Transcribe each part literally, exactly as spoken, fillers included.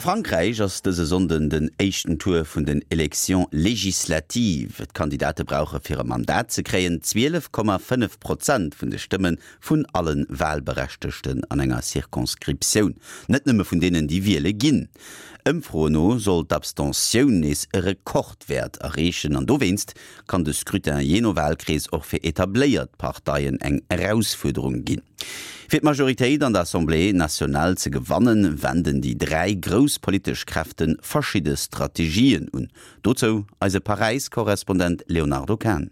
Frankräich ass dëse Sonnden den éischten Tour vun den Élections législatives. D'Kandidate brauche fir e Mandat ze kréien zwielef Komma fënnef Prozent vun de Stëmme vun alle Walberechtegten an enger Circonscriptioun, net nëmme vun deenen, déi wiele ginn. Ëmfroen no soll d'Abstentioun nees e Rekordwäert erreechen an dowéinst kann de Scrutin jee no Walkrees och fir etabléiert Parteien eng Erausfuerderung ginn. Fir d'Majoritéit an der Assemblée nationale ze gewannen, wenden déi dräi grouss politesch Kräfte verschidde Strategien un. Dozou eise Paräis-Korrespondent Léonardo Kahn.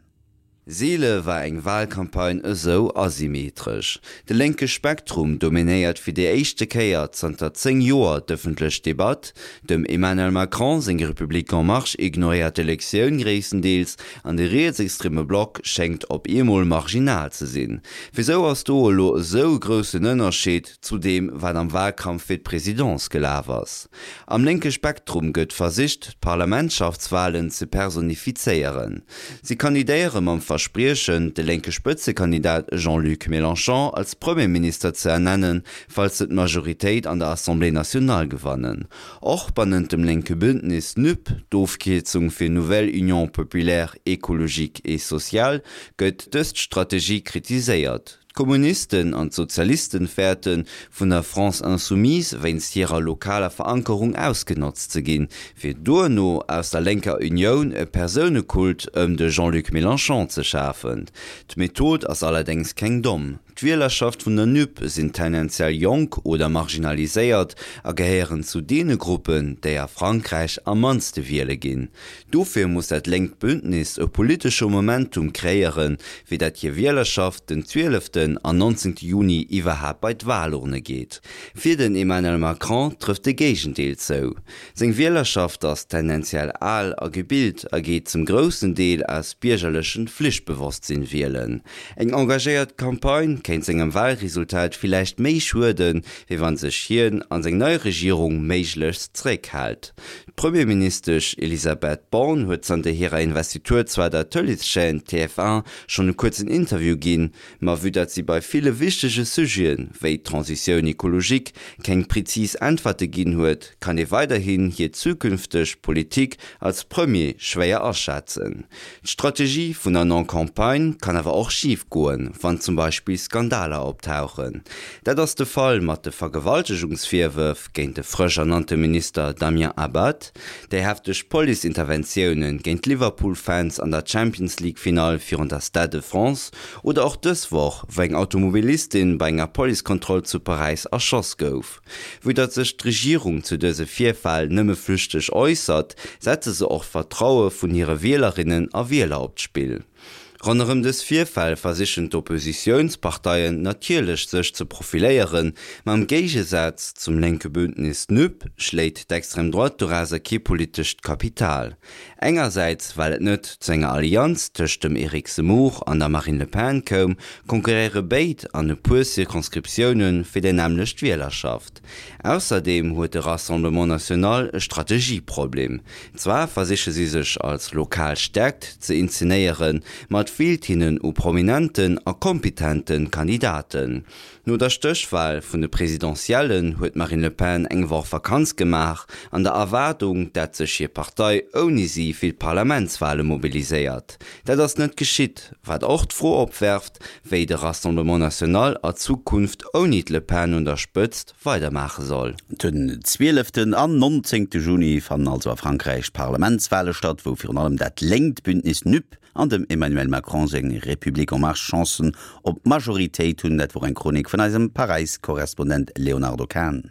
Seele war eng Walcampagne esou asymmetresch. De lénke Spektrum dominéiert fir déi éischte Kéier zanter zéng Joer d'ëffentlech Debatt, dem Emmanuel Macron seng République en marche ignoréiert d'Elektioun gréisstendeels an de rietsextreme Block schéngt op eemol marginal ze sinn. Wisou ass do elo esou e groussen Ënnerscheed zu deem, wat am Walkampf fir d'Presidence gelaf ass? Am lénke Spektrum gëtt versicht, d'Parlamentschaftswalen ze personifizéieren. Si kandidéiere mam Verspriechen, de lénke Spëtzekandidat Jean-Luc Mélenchon als Premierminister ze ernennen, falls se d'Majoritéit an der Assemblée nationale gewannen. Och bannent dem lénke Bündnis NUP, d'Ofkierzung fir Nouvelle Union populaire, écologique et sociale, gëtt dës Strategie kritiséiert. D'Kommunisten an d'Sozialisten fäerten, vun der France Insoumise wéinst hirer lokaler Verankerung ausgenotzt ze ginn, fir duerno aus der lénker Unioun e Persounekult ëm de Jean-Luc Mélenchon ze schafen. D'Method ass allerdéngs keng domm. D'Wielerschaft vun der NUP sinn tendenziell jonk oder marginaliséiert a gehéieren zu deene Gruppen, déi a Frankräich am mannste wiele ginn. Dofir muss dat lénkt Bündnis e politesche Momentum kreéieren, fir dat hir Wielerschaft den zwieleften an nonzéngte Juni iwwerhaapt bei d'Walurne geet. Fir den Emmanuel Macron trëfft de Géigendeel zou. Seng Wielerschaft ass tendenziell al a gebilt a geet zum groussen Deel aus biergerlechem Flichtbewosstsinn wielen. Eng engagéiert Campagne kéint sengem Walresultat villäicht méi schueden, wéi wann sech hien an seng nei Regierung méiglechst zeréckhält. D'Premierministesch Elisabeth Borne huet zanter hirer Investitur zwar der Tëleeschaîne T F un schonn e kuerzen Interview ginn, ma vue dat si bei ville wichtege Sujeten, wéi d'Transition écologique, keng prezis Äntwerte ginn huet, kann ee weiderhin hir zukünfteg Politik als Premier schwéier aschätzen. D'Strategie vun der Non-Campagne kann awer och schif goen, wann zum Beispill Skandaler optauchen. Dat ass de Fall mat de Vergewaltegungsvirwërf géint de frësch ernannte Minister Damien Abad, déi hefteg Police-Interventioune géint d'Liverpool-Fans an der Champions-League-Finall virun der Stade de France oder och dës Woch, wou eng Automobilistin bei enger Policekontroll zu Paräis erschoss gouf. Vue datt sech d'Regierung zu dëse Virfäll nëmme flüchteg äussert, setze se och d'Vertraue vun hire Wielerinnen a Wieler op d'Spill. Ronderëm dës Virfäll versichen d'Oppositiounsparteien natierlech sech ze profiléieren, ma am Géigesaz zum lénke Bündnis NUP schléit d'Extrême droite dorauser kee politescht Kapital. Engersäits well et net zu enger Allianz tëscht dem Eric Zemmour an der Marine Le Pen koum, konkurréiere béid an e puer Circonscriptioune fir déi nämmlecht Wielerschaft. Ausserdeem huet de Rassemblement National e Strategieproblem. Zwar versiche si sech als lokal Stäerkt ze inzenéieren, ma et feelt hinnen u prominenten a kompetente Kandidaten. No der Stéchwal vun de Presidentiellen huet d'Marine Le Pen eng Woch Vakanz gemaach, an der Erwaardung, dat sech hir Partei ouni si fir d'Parlamentswale mobiliséiert. Dat ass net geschitt, wat och d'Fro opwerft, wéi de Rassemblement National a Zukunft ouni d'Le Pen un der Spëtzt weidermaache soll. Den zwieleften an nonzéngte Juni fannen also a Frankräich d'Parlamentswale statt, wou virun allem dat lénkt Bündnis NUP an dem Emmanuel Macron seng République en marche Chancen op d'Majoritéit hunn. Dat wor eng Chronik vun eisem Paräis-Korrespondent Léonardo Kahn.